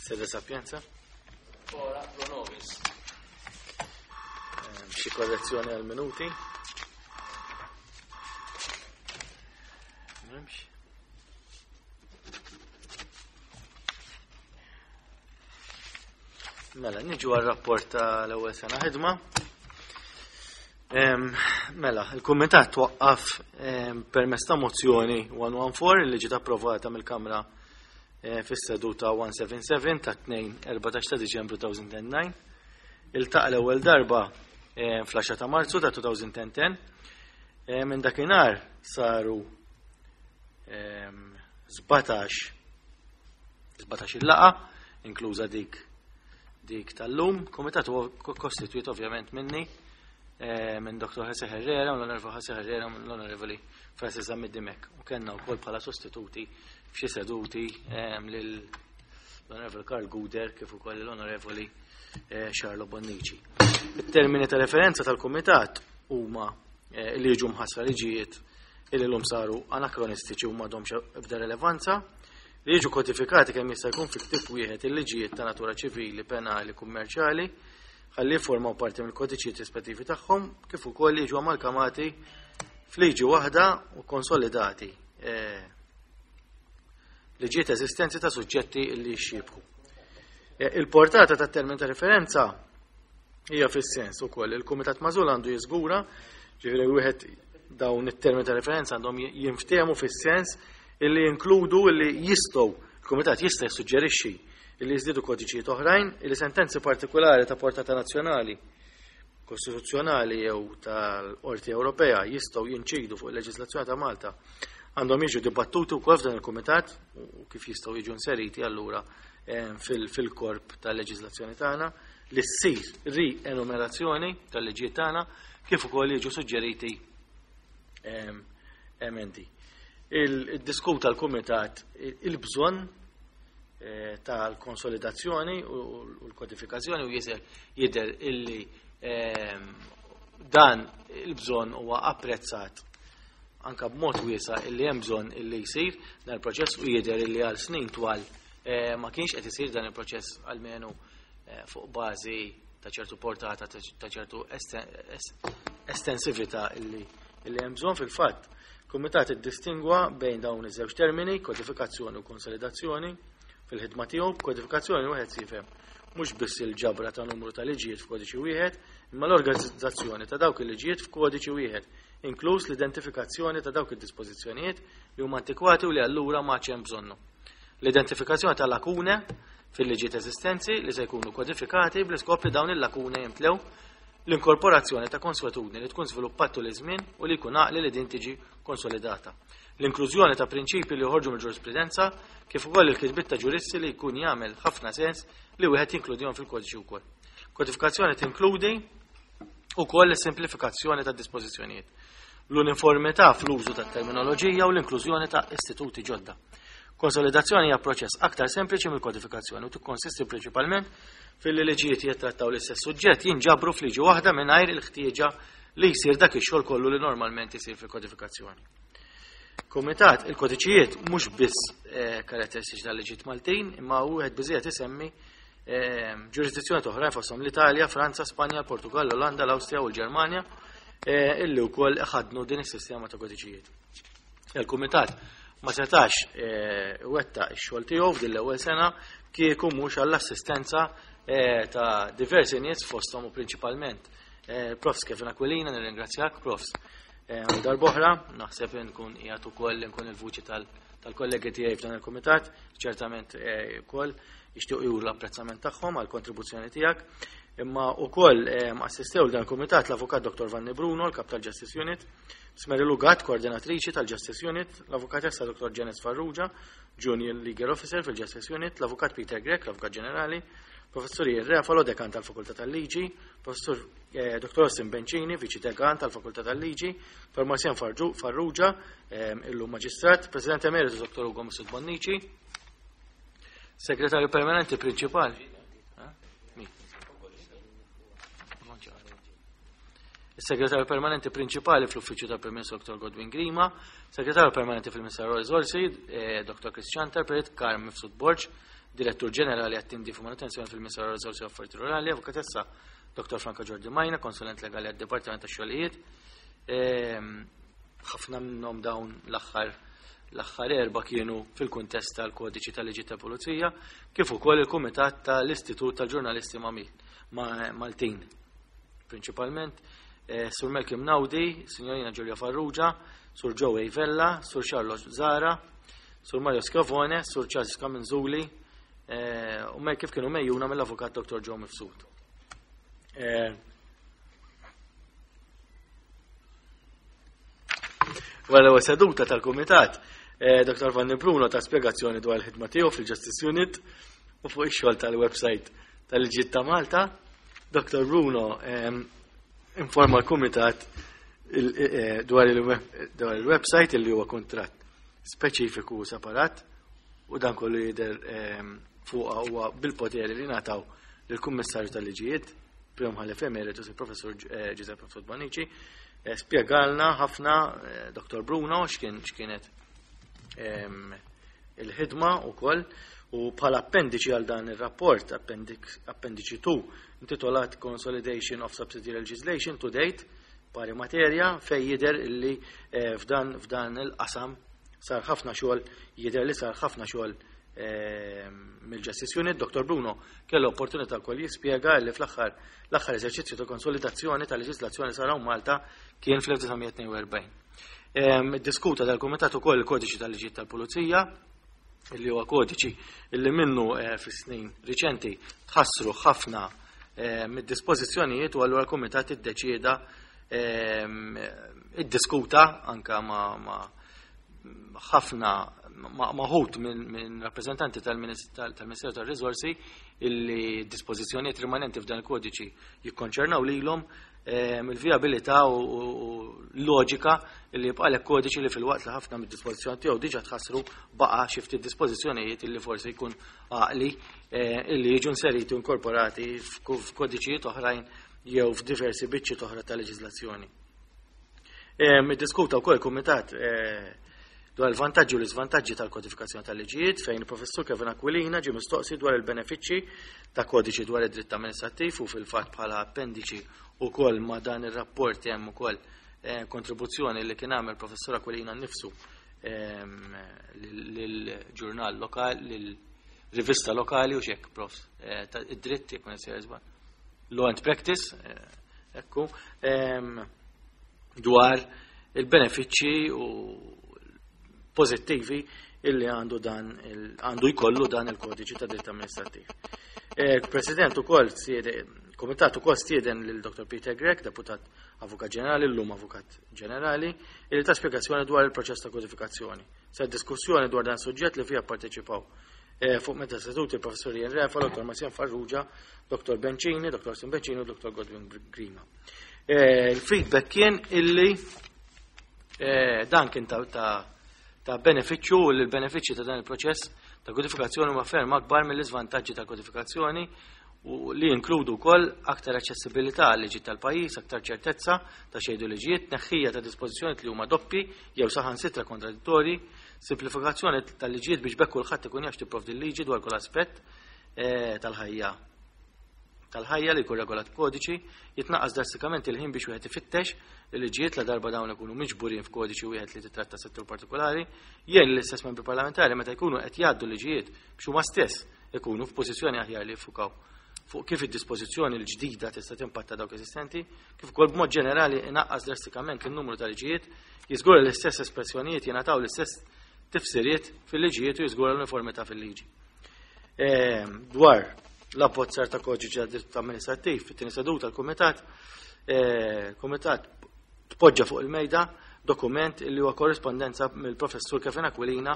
Sede Sapienza. Ora pro nobis. Xi korrezzjoni għal minuti. M'hemmx. Mela, niġu għal rapport tal-ewwel sena ħidma. Mela, il-kumitat twaqqaf permezz ta' mozzjoni 114 li ġiet approvata mill-Kamra eh, fis-seduta 177 ta' 2-14 ta' Diċembru 2009. Iltaqa' l-ewwel darba fl-10 ta' Marzu ta' 2010. Minn dakinhar saru 17 17 il-laqa, inkluża dik dik tal-lum. Komitat huwa kostitwit ovvjament minni eh, minn Dr. Jose Herrera, l-Onorevoli Jose Herrera, l-Onorevoli Francis Zammit Dimek. U kellna wkoll bħala sostituti f'xi seduti eh, lil l-Onorevoli Karl Guder kif ukoll l-Onorevoli eh, Charlo Bonnici. Il-termini ta' referenza tal-Kumitat huma li jiġu mħassra liġijiet illi l-lum saru anakronistiċi u m'għadhomx ebda relevanza, li jiġu kodifikati kemm jista' jkun fi ktieb wieħed il-liġijiet ta' natura ċivili, penali, kummerċjali, ħalli jiffurmaw parti mill-kodiċijiet rispettivi tagħhom, kif ukoll jiġu amalgamati f'liġi waħda u konsolidati eh, liġijiet eżistenti ta' suġġetti li jixxiebħu. Eh, il-portata tat-termin ta' referenza hija fis-sens ukoll il-Kumitat Magħżul għandu jiżgura, ġifieri wieħed dawn it-termini ta' referenza għandhom jinftehmu fis-sens illi jinkludu illi jistgħu il-Kumitat jista' jissuġġerixxi illi jiżdiedu kodiċijiet oħrajn illi sentenzi partikulari ta' portata nazzjonali, kostituzzjonali jew tal-Qorti Ewropea jistgħu jinċidu fuq il-leġiżlazzjoni ta' Malta għandhom jiġu dibattuti wkoll f'dan il-Kumitat u kif jistgħu jiġu inseriti allura eh, fil-korp tal-leġiżlazzjoni tagħna li ssir rienumerazzjoni tal-liġijiet tagħna kif ukoll jiġu suġġeriti ehm, emendi. Il-diskuta l-Kumitat il-bżonn eh, tal-konsolidazzjoni u l-kodifikazzjoni u jisel jidher illi ehm, dan il-bżonn huwa apprezzat anka b'mod wiesa illi hemm bżonn illi jsir dan il-proċess u jidher illi għal snin twal eh, ma kienx qed isir dan il-proċess almenu eh, fuq bażi ta' ċertu portata ta' ċertu estensività illi illi hemm bżonn fil-fatt. Kumitat iddistingwa bejn dawn iż-żewġ termini, kodifikazzjoni u konsolidazzjoni, fil-ħidma tiegħu b'kodifikazzjoni wieħed jifhem mhux biss il-ġabra ta' numru ta' liġijiet f'kodiċi wieħed, imma l-organizzazzjoni ta' dawk il-liġijiet f'kodiċi wieħed, inkluż l-identifikazzjoni ta' dawk id-dispożizzjonijiet li huma antikwati u li allura ma hemm bżonnhom. L-identifikazzjoni ta' lakune fil-liġijiet eżistenti li se jkunu kodifikati bl-iskop li dawn il-lakune jimtlew l-inkorporazzjoni ta' konswetudni li tkun żviluppat tul iż-żmien u li jkun għaqli li din tiġi konsolidata. L-inklużjoni ta' prinċipji li joħorġu mill-ġurisprudenza kif ukoll il-kitbiet ta' ġuristi li jkun jagħmel ħafna sens li wieħed jinkludihom fil-kodiċi wkoll. Kodifikazzjoni tinkludi ukoll is-simplifikazzjoni ta' dispożizzjonijiet, l-uniformità fl-użu ta' terminoloġija u l-inklużjoni ta' istituti ġodda. Konsolidazzjoni hija proċess aktar sempliċi mill-kodifikazzjoni u tikkonsisti prinċipalment fil-li liġijiet jittrattaw l-istess suġġett jinġabru f'liġi waħda mingħajr il-ħtieġa li jsir dak ix-xogħol kollu li normalment isir fil-kodifikazzjoni. Kumitat, il-kodiċijiet mhux biss eh, karatteristiċi tal-liġijiet Maltin, imma wieħed biżejjed isemmi eh, ġurisdizzjoni oħrajn fosthom l-Italja, Franza, Spanja, Portugal, l-Olanda, l-Awstrija u l-Ġermanja eh, illi wkoll ħadnu din is-sistema ta' kodiċijiet. Il-Kumitat ma setax eh, wetta x-xogħol tiegħu f'din l-ewwel sena kieku mhux għall-assistenza eh, ta' diversi nies fosthom u prinċipalment eh, Profs Kevin Aquilina, nirringrazzjak, Profs. Darboħra, naħseb nkun qiegħed ukoll nkun il-vuċi tal-kollegi tiegħi f'dan il-kumitat, ċertament ukoll jixtiequ juru l-apprezzament tagħhom għall kontribuzzjoni tiegħek. Imma ukoll assistew dan il-kumitat l-Avukat Dr. Vanni Bruno, l-Kap tal-Justice Unit, Smery Lugat, koordinatriċi tal-Justice Unit, l-Avukatessa Dr. Janice Farrugia, Junior Legal Officer fil-Justice Unit, l-Avukat Peter Grech, l-Avukat Ġenerali, Professur Ian Refalo, Dekan tal-Fakultà tal-Liġi, Professur eh, Dr. Austin Bencini, Viċi Dekan tal-Fakultà tal-Liġi, Dr. Marcian Farrugia, eh, illum Maġistrat, President Emeritus Dr. Ugo Mifsud Bonnici, Segretarju Permanenti Prinċipali. Is-Segretarju Permanenti Prinċipali fl-Uffiċċju tal-Prim Ministru Dr. Godwin Grima, Segretarju Permanenti fil-Ministeru Riżorsi eh, Dr. Chris Chanter, Perit Karm Mifsud Borg, Direttur Ġenerali għat-Tindif u Manutenzjoni fil-Ministeru għar-Riżorsi u Affarijiet Rurali, Avukatessa Dr. Franca Giordi Majna, konsulent legali għad-Dipartiment tax-Xogħlijiet. Ħafna minnhom dawn l-aħħar l-aħħar erba' kienu fil-kuntest tal-kodiċi tal-liġi tal-Pulizija, kif ukoll il-Kumitat tal-Istitut tal-Ġurnalisti Maltin. Prinċipalment Sur Malcolm Naudi, Signorina Giulia Farrugia, Sur Joey Vella, Sur Charles Zara, Sur Mario Scavone, Sur Charles Camenzuli, u me kif kienu mejjuna mill-avukat Dr. Joe Mifsud. Wara l-ewwel seduta tal-Kumitat, Dr. Vanni Bruno ta' spjegazzjoni dwar il-ħidma tiegħu fil-Justice Unit u fuq ix-xogħol tal-website tal-Liġijiet ta' Malta. Dr. Bruno informa l-Kumitat dwar il-website li huwa kuntratt speċifiku u separat u dan kollu jidher fuqha huwa bil-poteri li ngħataw lill-Kummissarju tal-Liġijiet, Prim Mħallef Emeritus il-Professur Giuseppe Mifsud Bonnici. Spjegalna ħafna Dr. Bruno x'kienet il-ħidma wkoll u bħala appendiċi għal dan ir-rapport, appendiċi 2, intitolat Consolidation of Subsidiary Legislation to Date, pari materja fej jidher illi f'dan il-qasam sar ħafna xogħol, jidher li sar ħafna xogħol mill-Justice Unit. Dr. Bruno kellu opportunità wkoll jispjega li fl-aħħar l-aħħar eżerċizzju ta' konsolidazzjoni ta' leġislazzjoni sar hawn Malta kien fl-1942. Diskuta dal-Kumitat ukoll il-Kodiċi tal-Liġijiet tal-Pulizija, illi huwa kodiċi illi minnu fis-snin riċenti tħassru ħafna mid-dispożizzjonijiet u allura l-Kumitat iddeċieda iddiskuta anka ma' ħafna maħut minn rappreżentanti tal-Ministeru tar-Riżorsi illi dispożizzjonijiet rimanenti f'dan il-kodiċi jikkonċernaw lilhom il-vijabilità u loġika illi jibqalek kodiċi li fil-waqt li ħafna mid-dispożizzjoni tiegħu diġà tħassru baqa' xi ftit dispożizzjonijiet illi forsi jkun għaqli illi jiġu inseriti u inkorporati f'kodiċijiet oħrajn jew f'diversi biċċiet oħra ta' leġiżlazzjoni. Iddiskuta wkoll il-Kumitat dwar il-vantaġġi u l-iżvantaġġi tal-kodifikazzjoni tal-liġijiet fejn il-Professur Kevin Aquilina ġie mistoqsi dwar il-benefiċċji ta' kodiċi dwar id-dritt amministrattiv u fil-fatt bħala appendiċi wkoll ma' dan ir-rapport hemm ukoll kontribuzzjoni li kien għamel Professur Aquilina nnifsu lill-ġurnal lokal, lill-rivista lokali u xek, prof, id-dritt jekk ma nisir żball. Law and Practice, ekku, dwar il-benefiċċji u pożittivi illi għandu dan għandu jkollu dan il-kodiċi ta' dritt amministrattiv. President ukoll Komitat ukoll stieden lil Dr. Peter Grech, deputat Avukat Ġenerali, llum Avukat Ġenerali, illi ta spjegazzjoni dwar il-proċess ta' kodifikazzjoni. Sar diskussjoni dwar dan suġġett li fiha pparteċipaw fuq meta seduti il-Professur Ian Refa, Dr. Marcian Farrugia, Dr. Bencini, Dr. Sim Bencini u Dr. Godwin Grima. Il-feedback kien illi dan kien ta' benefiċċju u li l-benefiċċji ta' dan il-proċess ta' kodifikazzjoni huma ferm akbar mill-iżvantaġġi ta' kodifikazzjoni u li jinkludu wkoll aktar aċċessibilità għal liġi tal-pajjiż, aktar ċertezza ta' xejdu liġijiet, tneħħija ta' dispożizzjonijiet li huma doppi jew saħansitra kontradittorji, simplifikazzjoni tal-liġijiet biex bekk kulħadd ikun jaf tipprovdi l-liġi dwar kull aspett tal-ħajja tal-ħajja li jkun regolat b'kodiċi, jitnaqqas drastikament il-ħin biex wieħed ifittex il-liġijiet la darba dawn ikunu miġburin f'kodiċi wieħed li titratta settur partikolari, jgħin l-istess membri parlamentari meta jkunu qed jgħaddu liġijiet biex huma stess ikunu f'pożizzjoni aħjar li jiffukaw fuq kif id-dispożizzjoni l-ġdida tista' timpatta dawk eżistenti, kif ukoll b'mod ġenerali inaqqas drastikament in-numru ta' liġijiet, jiżgura l-istess espressjonijiet jingħataw l-istess tifsiriet fil-liġijiet u jiżgura l-uniformità fil-liġi. Dwar l-abbozzar ta' kodiċi ta' dritt amministrattiv fit-tieni seduta tal-Kumitat, Kumitat tpoġġa fuq il-mejda dokument li huwa korrispondenza mill-Professur Kevin Aquilina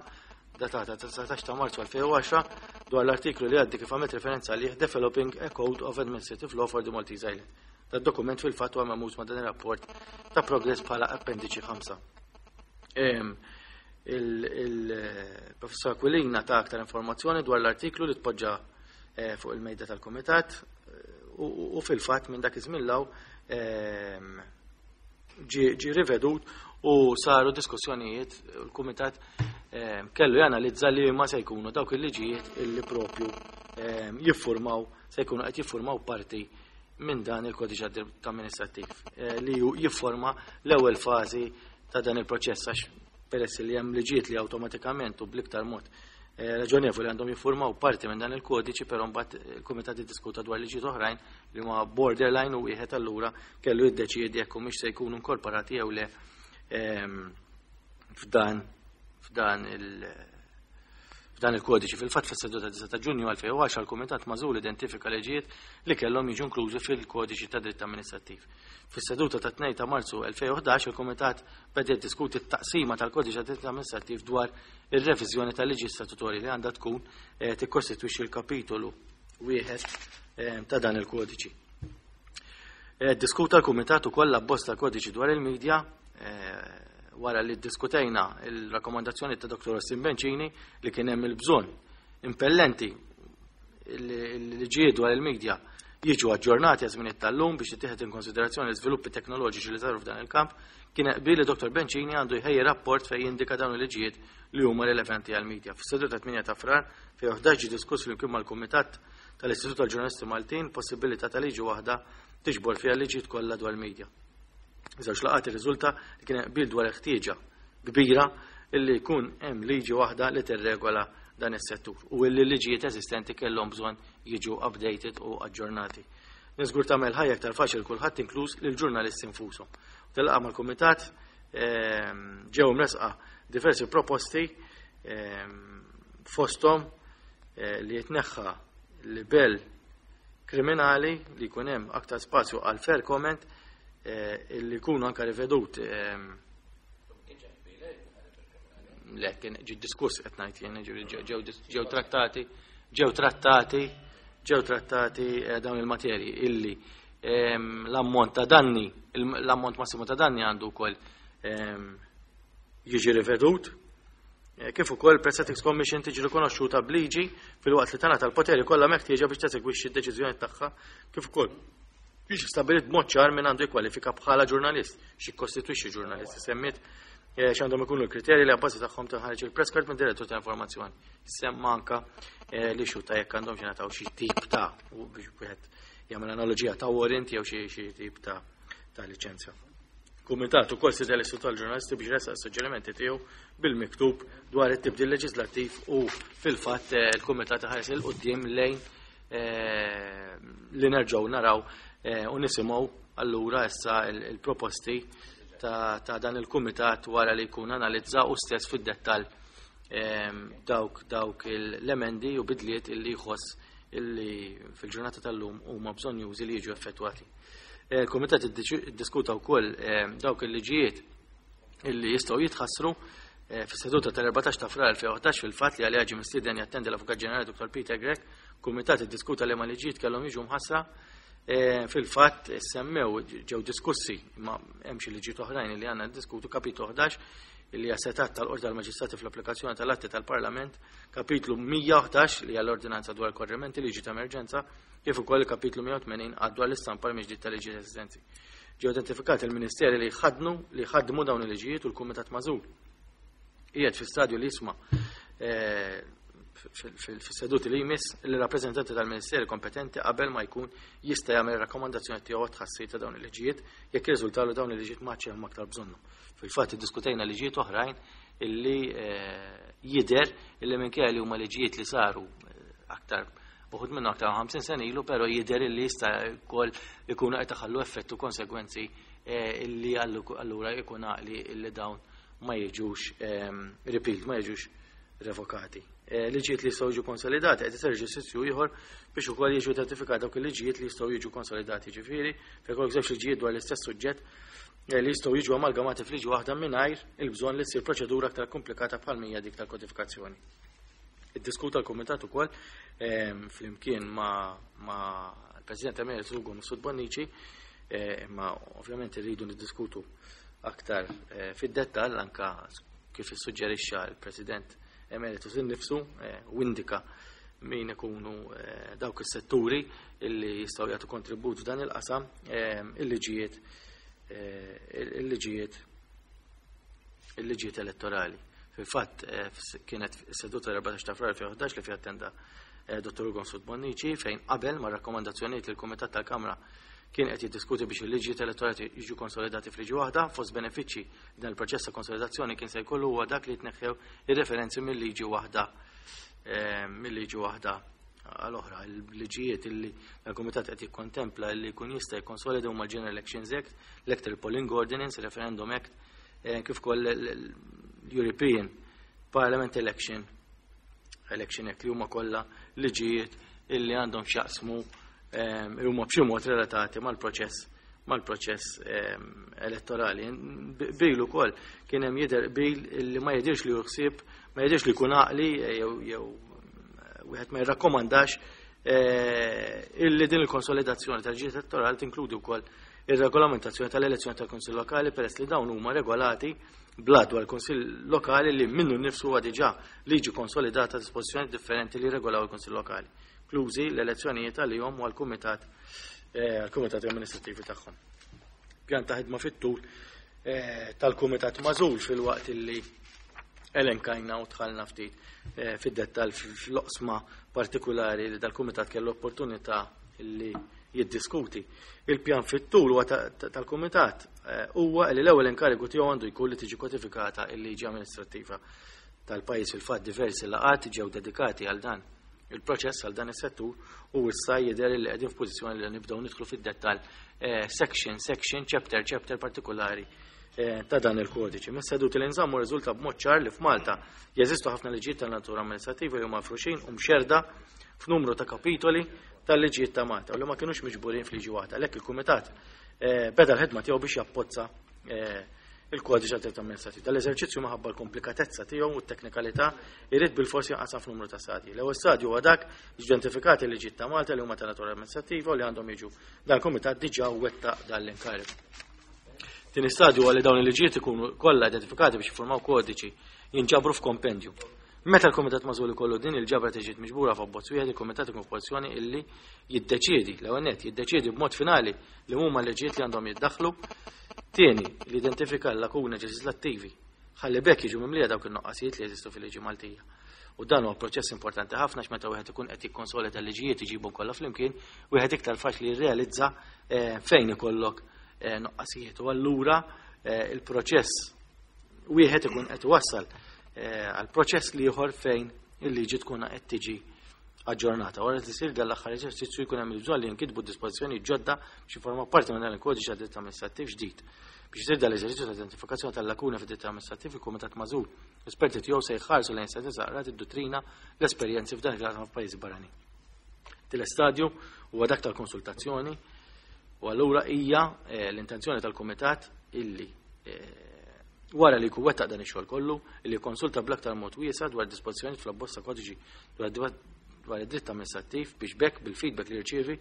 datata 19 ta' Marzu 2010 dwar l-artiklu li għaddi kif għamilt referenza għalih Developing a Code of Administrative Law for the Maltese Island. Dat dokument fil-fatt huwa memuż ma' dan ir-rapport ta' progress bħala appendiċi 5. Il-Professor Aquilina ta' aktar informazzjoni dwar l-artiklu li tpoġġa fuq il-mejda tal-Kumitat u fil-fatt minn dak iż-żmien law ġi rivedut U saru diskussjonijiet, l-Kumitat kellu janalizza li ma se jkunu dawk il-liġijiet illi propju jiffurmaw, se jkunu qed jiffurmaw parti minn dan il-kodiċi amministrattiv li jifforma l-ewwel fażi ta' dan il-proċess, għax peress li hemm liġijiet li awtomatikament u bl-iktar mod raġonevoli għandhom jiffurmaw parti minn dan il-kodiċi, però mbagħad il-kumitat iddiskuta dwar liġijiet oħrajn li huma borderline u wieħed allura kellu jiddeċiedi jekk humiex se jkunu inkorporati jew le f'dan il-kodiċi. Fil-fatt, fis-seduta 9 ta' Ġunju 2010 il-Kumitat Magħżul identifika liġijiet li kellhom jiġu inklużi fil-kodiċi ta' dritt amministrattiv. Fis-seduta ta' 2 ta' Marzu 2011 il-Kumitat beda jiddiskuti t-taqsima tal-kodiċi ta' dritt amministrattiv dwar ir-reviżjoni tal-liġi statutorji li għandha tkun tikkostitwixxi l-kapitolu wieħed ta' dan il-kodiċi. Diskuta l-Kumitat ukoll l-abbozz tal-kodiċi dwar il-medja, wara li ddiskutejna il-rakkomandazzjoni ta' Dr. Austin Bencini li kien hemm il-bżonn impellenti li liġijiet dwar il-medja jiġu aġġornati għaż żmien tal-lum biex jittieħed in konsiderazzjoni l-iżviluppi teknoloġiċi li saru f'dan il-kamp, kien qbil li Dr. Bencini għandu jħejji rapport fejn jindika dawn il-liġijiet li huma rilevanti għall-medja. Fis-seduta 8 ta' Frar fejn 11 ġie diskuss flimkien mal-Kumitat tal-Istitut tal-Ġurnalisti Maltin possibilità ta' liġi waħda tiġbor fiha liġijiet kollha dwar il-medja. Żewġ laqgħat irriżulta li kien qbil dwar ħtieġa kbira illi jkun hemm liġi waħda li tirregola dan is-settur u illi liġijiet eżistenti kellhom bżonn jiġu updated u aġġornati. Niżgur tagħmel ħajja aktar faċli kulħadd, inkluż lill-ġurnalisti nfushom. Tilqa' mal-kumitat ġew mresqa diversi proposti, fosthom li jitneħħa libell kriminali, li jkun hemm aktar spazju għal fair comment, illi jkunu anka rivedut, le, kien ġi diskuss, qed ngħid jien, ġifieri ġew trattati dawn il-materji illi l-ammont ta' danni, l-ammont massimu ta' danni għandu wkoll jiġi rivedut. Kif ukoll Press Ethics Commission tiġi rikonoxxuta b'liġi filwaqt li tingħata l-poteri kollha meħtieġa biex teżegwixxi d-deċiżjoni tagħha, kif ukoll biex stabbilit b'mod ċar min għandu jikkwalifika bħala ġurnalist, x'jikkostitwixxi ġurnalist, semmiet x'għandhom ikunu l-kriterji li abbażi tagħhom tinħareġ il-press card minn direttur ta' informazzjoni. Semma anka li xuta jekk għandhom xi nataw xi tip ta' u biex wieħed jagħmel analoġija ta' warrant jew xi tip ta' liċenzja. Kumitat ukoll stieden l-Istitut tal-Ġurnalisti biex resaq suġġerimenti tiegħu bil-miktub dwar it-tibdil leġislattiv u fil-fatt il-Kumitat ħares 'il quddiem lejn li nerġgħu naraw u nisimgħu allura issa il-proposti ta' dan il-kumitat wara li jkun analizza u stess fid-dettall dawk l-emendi u bidliet illi jħoss illi fil-ġurnata tal-lum huma bżonjużi li jiġu effettwati. Il-Kumitat iddiskuta wkoll dawk il-liġijiet illi jistgħu jitħassru fis-seduta tal-14 ta' Frar 2011, fil-fatt li għaliha ġie mistieden jattendi l-Avukat Ġenerali Dr. Peter Grech. Kumitat iddiskuta li ma liġijiet kellhom jiġu mħassra. Fil-fatt semmew, ġew diskussi, ma hemm xi liġijiet oħrajn li għandna diskutu: kapitlu 11 illi hija setgħat tal-Qorti tal-Maġistrati fl-applikazzjoni tal-atti tal-Parlament, kapitlu 111 li hija l-Ordinanza dwar korrimenti, liġi ta' emerġenza, kif ukoll il-kapitlu 180 għad dwar l-istampa mill-ġdid tal-liġi eżistenti. Ġew identifikati il-ministeri li ħadmu dawn il-liġijiet u l-Kumitat Magħżul qiegħed fi stadju li jisma' fis-seduti li jmiss il-rappreżentanti tal-ministeri kompetenti qabel ma jkun jista' jagħmel rakkomandazzjoni tiegħu għat-tħassir ta' dawn il-liġijiet jekk jirriżultalu dawn il-liġijiet ma hemm aktar bżonnu. Fil-fatt iddiskutejna liġijiet oħrajn illi jidher illi minkejja li huma liġijiet li saru aktar uħud minnu aktar 50 sena ilu, però jidher illi jista' wkoll ikunu qed iħallu effettu konsegwenzi illi allura ikun għaqli illi dawn ma jiġux repealed, ma jiġux revokati. Liġijiet li jistgħu jiġu konsolidati, qed isir eżerċizzju ieħor biex ukoll jiġu identifikati dawk il-liġijiet li jistgħu jiġu konsolidati, ġifieri fejn jkollok żewġ liġijiet dwar l-istess suġġett li jistgħu jiġu amalgamati f'liġi waħda mingħajr il-bżonn li ssir proċedura aktar komplikata bħal mija dik tal-kodifikazzjoni. Iddiskuta l-Kumitat ukoll flimkien ma l-President Emeritus Ugo Mifsud Bonnici, imma ovvjament irridu niddiskutu aktar fid-dettall anka kif issuġġerixxa l-President Emeritus innifsu u indika min ikunu dawk is-setturi illi jistgħu jagħtu kontribut f'dan il-qasam, il-liġijiet. il-liġijiet elettorali. Fil-fatt kienet seduta l-14 ta' Frar 2011 li fiha attenda Dottor Ugo Mifsud Bonnici fejn qabel ma' rakkomandazzjonijiet li l-Kumitat tal-Kamra kien qed jiddiskuti biex il-liġijiet elettorali jiġu konsolidati f'liġi waħda. Fost benefiċċji li dan il-proċess ta' konsolidazzjoni kien se jkollu huwa dak li jitneħħew ir-referenzi mill-liġi waħda għal oħra. Il-liġijiet illi l-Kumitat qed jikkontempla li jkun jista' jikkonsolida huma l-General Elections Act, l-Electoral Polling Ordinance, Referendum Act, kif ukoll l-European Parliament Election Act, li huma kollha liġijiet illi għandhom x'jaqsmu huma b'xi mod relatati mal-proċess elettorali. Bil ukoll kien hemm jidher bil li ma jidirx li ħsieb, ma jidirx li jkun għaqli jew wieħed ma jirrakkomandax illi din il-konsolidazzjoni tal-liġijiet elettorali tinkludi wkoll ir-regolamentazzjoni tal-elezzjoni tal-Kunsill Lokali, peress li dawn huma regolati bl-Att dwar il-Kunsill Lokali, li minnu nnifsu huwa diġà liġi konsolidata, dispożizzjoni differenti li regolaw il-Kunsill Lokali, inklużi l-elezzjonijiet għalihom u għall-kumitat amministrativi tagħhom. Pjan ta' ħidma fit-tul tal-kumitat magħżul. Filwaqt illi elenkajna u dħalna ftit fid-dettal fl-oqsma partikulari li dal-kumitat kellu opportunità illi jiddiskuti. Il-pjan fit-tul huwa tal-kumitat huwa li l-ewwel inkarigu tiegħu għandu jkun li tiġi kodifikata il-liġi amministrattiva tal-pajjiż. Fil-fatt diversi laqgħat ġew dedikati għal dan il-proċess, għal dan is-settur, u issa jidher li qegħdin f'pożizzjoni li nibdew nidħlu fid-dettall, section, section, chapter, chapter partikolari ta' dan il-kodiċi. Mis-seduti li nżammu riżulta b'mod ċar li f'Malta jeżistu ħafna liġijiet tal-natura amministrativa li huma mifruxin u mxerda f'numru ta' kapitoli tal-liġijiet ta' Malta u li ma kienux miġburin f'liġi waħda. Għalhekk il-kumitat beda l-ħidma tiegħu biex jabbozza il-kodiċi għad amministrativ. Dal-eżerċizzju, minħabba l-komplikatezza tiegħu u t-teknikalità, irid bil-forsi jinqasam f'numru ta' stadji. L-ewwel stadju huwa dak identifikati l-liġijiet ta' Malta li huma ta' natura amministrativa u li għandhom jiġu. Dan il-kumitat diġà wettaq dan l-inkarigu. Tieni stadju huwa li dawn il-liġijiet ikunu kollha identifikati biex jiffurmaw kodiċi, jinġabru f'kompendju. Meta l-Kumitat Magħżul ikollu din il-ġabra tiġi miġbura f'abbozz wieħed, il-Kumitat ikun f'pożizzjoni illi jiddeċiedi, l-ewwel nett jiddeċiedi b'mod finali li huma l-liġijiet li għandhom jiddaħħlu, tieni li identifika l-lakuni leġislattivi ħalli b'hekk jiġu mimlija dawk il-noqqasijiet li jeżistu fil-liġi Maltija. U dan huwa proċess importanti ħafna għax meta wieħed ikun qed jikkonsolida l-liġijiet, iġibhom kollha flimkien, wieħed iktar faċli jirrealizza fejn ikollok noqqasijiet. U allura il-proċess wieħed ikun qed iwassal għal proċess l-ieħor fejn il-liġi tkun qed tiġi aġġornata. Wara li jsir dan l-aħħar eżerċizzju, jkun hemm il-bżonn li jinkitbu dispożizzjoni ġodda biex jiformaw parti minn dan il-kodiċi għad dritt amministrattiv ġdid. Biex isir dan l-eżerċizzju ta' identifikazzjoni tal-lakuna fid-dritt amministrattiv, il-Kumitat Magħżul, esperti tiegħu se jħarsu lejn sentenza qrati, id-dottrina, l-esperjenzi f'dan il-qasam f'pajjiżi barranin. Tielet stadju huwa dak tal-konsultazzjoni u allura hija l-intenzjoni tal-Kumitat illi wara li jkun wettaq dan ix-xogħol kollu, illi konsulta bl-aktar mod wiesa' dwar dispożizzjoni fl-abbozz ta' kodiċi dwar id-dritt amministrattiv, biex b'hekk bil-feedback li jirċievi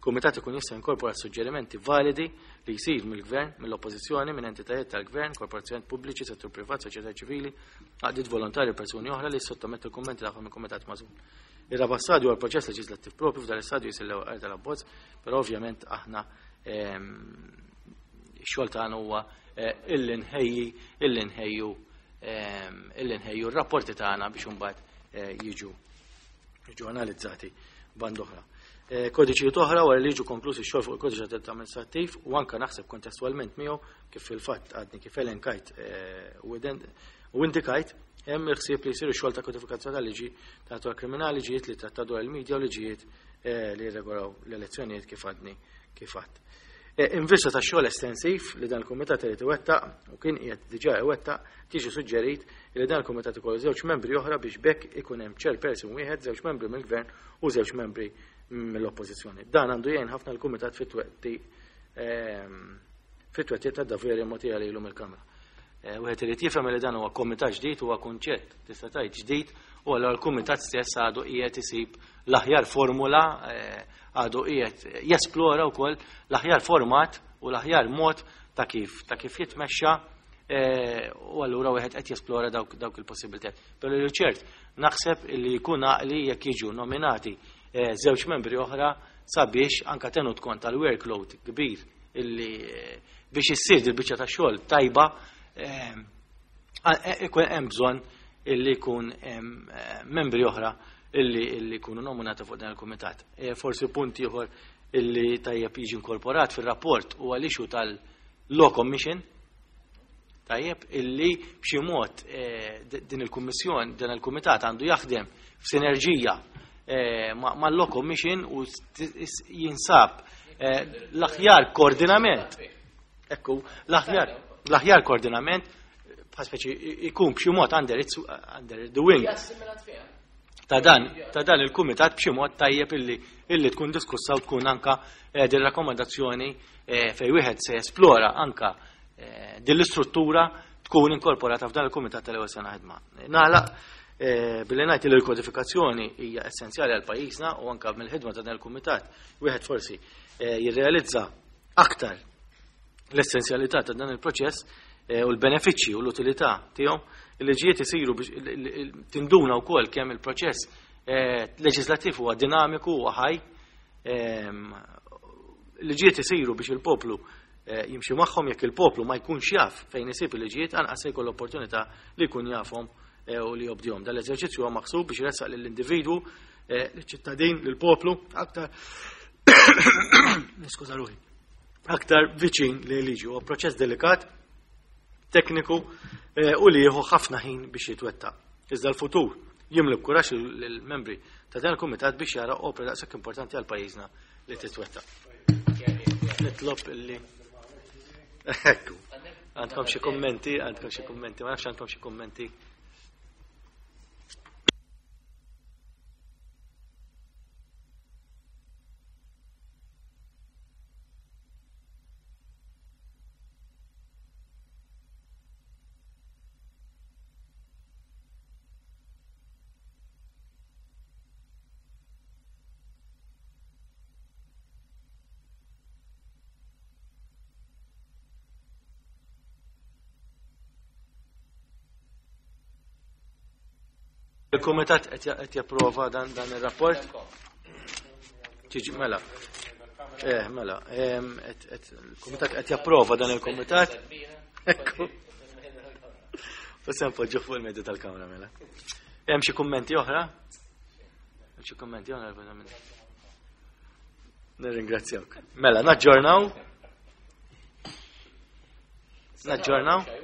kumitat ikun jista' jinkorpora suġġerimenti validi li jsir mill-gvern, mill-oppożizzjoni, minn entitajiet tal-gvern, korporazzjonijiet pubbliċi, settur privat, soċjetà ċivili, għaqdiet volontari u persuni oħra li sottomettu l-kummenti tagħhom il-kumitat magħżul. Ir-raba' stadju huwa l-proċess leġislattiv propju. F'dan l-istadju jsir l-ewwel qari tal-abbozz, però ovvjament aħna x-xogħol tagħna huwa illi nħejju r-rapporti tagħna biex imbagħad jiġu analizzati band oħra. Kodiċijiet oħra. Wara li jiġu konklusi x-xogħol fuq il-kodiċi tad amministrattiv u anka naħseb kontestwalment miegħu, kif fil-fatt għadni kif elenkajt u indikajt, hemm il-ħsieb li jsiru xogħol ta' kodifikazzjoni tal-liġi ta' natura kriminali, liġijiet li tratta dwar il-medja u liġijiet li jirregolaw l-elezzjonijiet, kif għadni kif għadt. In vista ta' xogħol estensiv li dan il-kumitat irid iwettaq u kien qiegħed diġà iwettaq, tiġi suġġerit li dan il-kumitat ikollu żewġ membri oħra biex b'hekk ikun hemm chairperson wieħed, żewġ membri mill-gvern u żewġ membri mill-oppożizzjoni. Dan għandu jgħin ħafna l-kumitat fit-twettiq ta' doveri mogħtija lilu mill-Kamra. Wieħed irid jifhem li dan huwa komitat ġdid, huwa kunċett tista' tgħid ġdid, u allura l-kumitat stess għadu qiegħed isib l-aħjar formula, għadu qiegħed jesplora wkoll l-aħjar format u l-aħjar mod ta' kif jitmexxa, u allura wieħed qed jesplora dawk il-possibilitajiet. Però li ċert naħseb li jkun għaqli jekk jiġu nominati żewġ membri oħra sabiex anka tenut kont tal-workload kbir illi biex issir il-biċċa ta' xogħol tajba. Ikun hemm bżonn illi jkun hemm membri oħra illi jkunu nominati fuq dan il-kumitat. Forsi punt ieħor illi tajjeb jiġi inkorporat fir-rapport huwa l-issue tal-Law Commission, tajjeb illi b'xi mod din il-kummissjon, dan il-kumitat għandu jaħdem f'sinerġija mal-Law Commission u jinsab l-aħjar koordinament. Ekku, l-aħjar koordinament bħal speċi ikun b'xi mod under the wing ta' dan ta' dan il-kumitat b'xi mod tajjeb illi tkun diskussa u tkun anka din rakkomandazzjoni fejn wieħed se jesplora anka din l-istruttura tkun inkorporata f'dan il-kumitat tal-ewwel sena ħidma. Nagħlaq billi ngħid li l-kodifikazzjoni hija essenzjali għal pajjiżna u anka mill-ħidma ta' dan il-kumitat wieħed forsi jirrealizza aktar l-essenzjalità ta' dan il-proċess u l-benefiċċji u l-utilità tiegħu. Il-liġijiet isiru biex tinduna wkoll kemm il-proċess leġislattiv huwa dinamiku u ħaj. Il-liġijiet isiru biex il-poplu jimxi magħhom, jekk il-poplu ma jkunx jaf fejn isib il-liġijiet anqas se jkollu opportunità li jkun jafhom u li jobdihom. Dan l-eżerċizzju huwa maħsub biex jressaq lill-individwu, lill-ċittadin, lill-poplu aktar niskuża ruħi, aktar viċin li liġi. Huwa proċess delikat, tekniku u li jieħu ħafna ħin biex jitwettaq. Iżda l-futur jimli b'kuraġġ lill-membri ta' dan il-kumitat biex jara opra daqshekk importanti għal pajjiżna li titwettaq. Nitlob illi Ekku. Għandkom xi kummenti, għandkom xi kummenti, ma nafx għandkom xi kummenti. Il-Kumitat qed japprova dan ir-rapport? Tiġi mela. Mela, il-Kumitat qed japprova dan il-Kumitat. Ekku. U se npoġġu fuq il-medja tal-Kamra mela. Hemm xi kummenti oħra? Hemm xi kummenti oħra? Nirringrazzjawk. Mela, naġġornaw. Naġġornaw.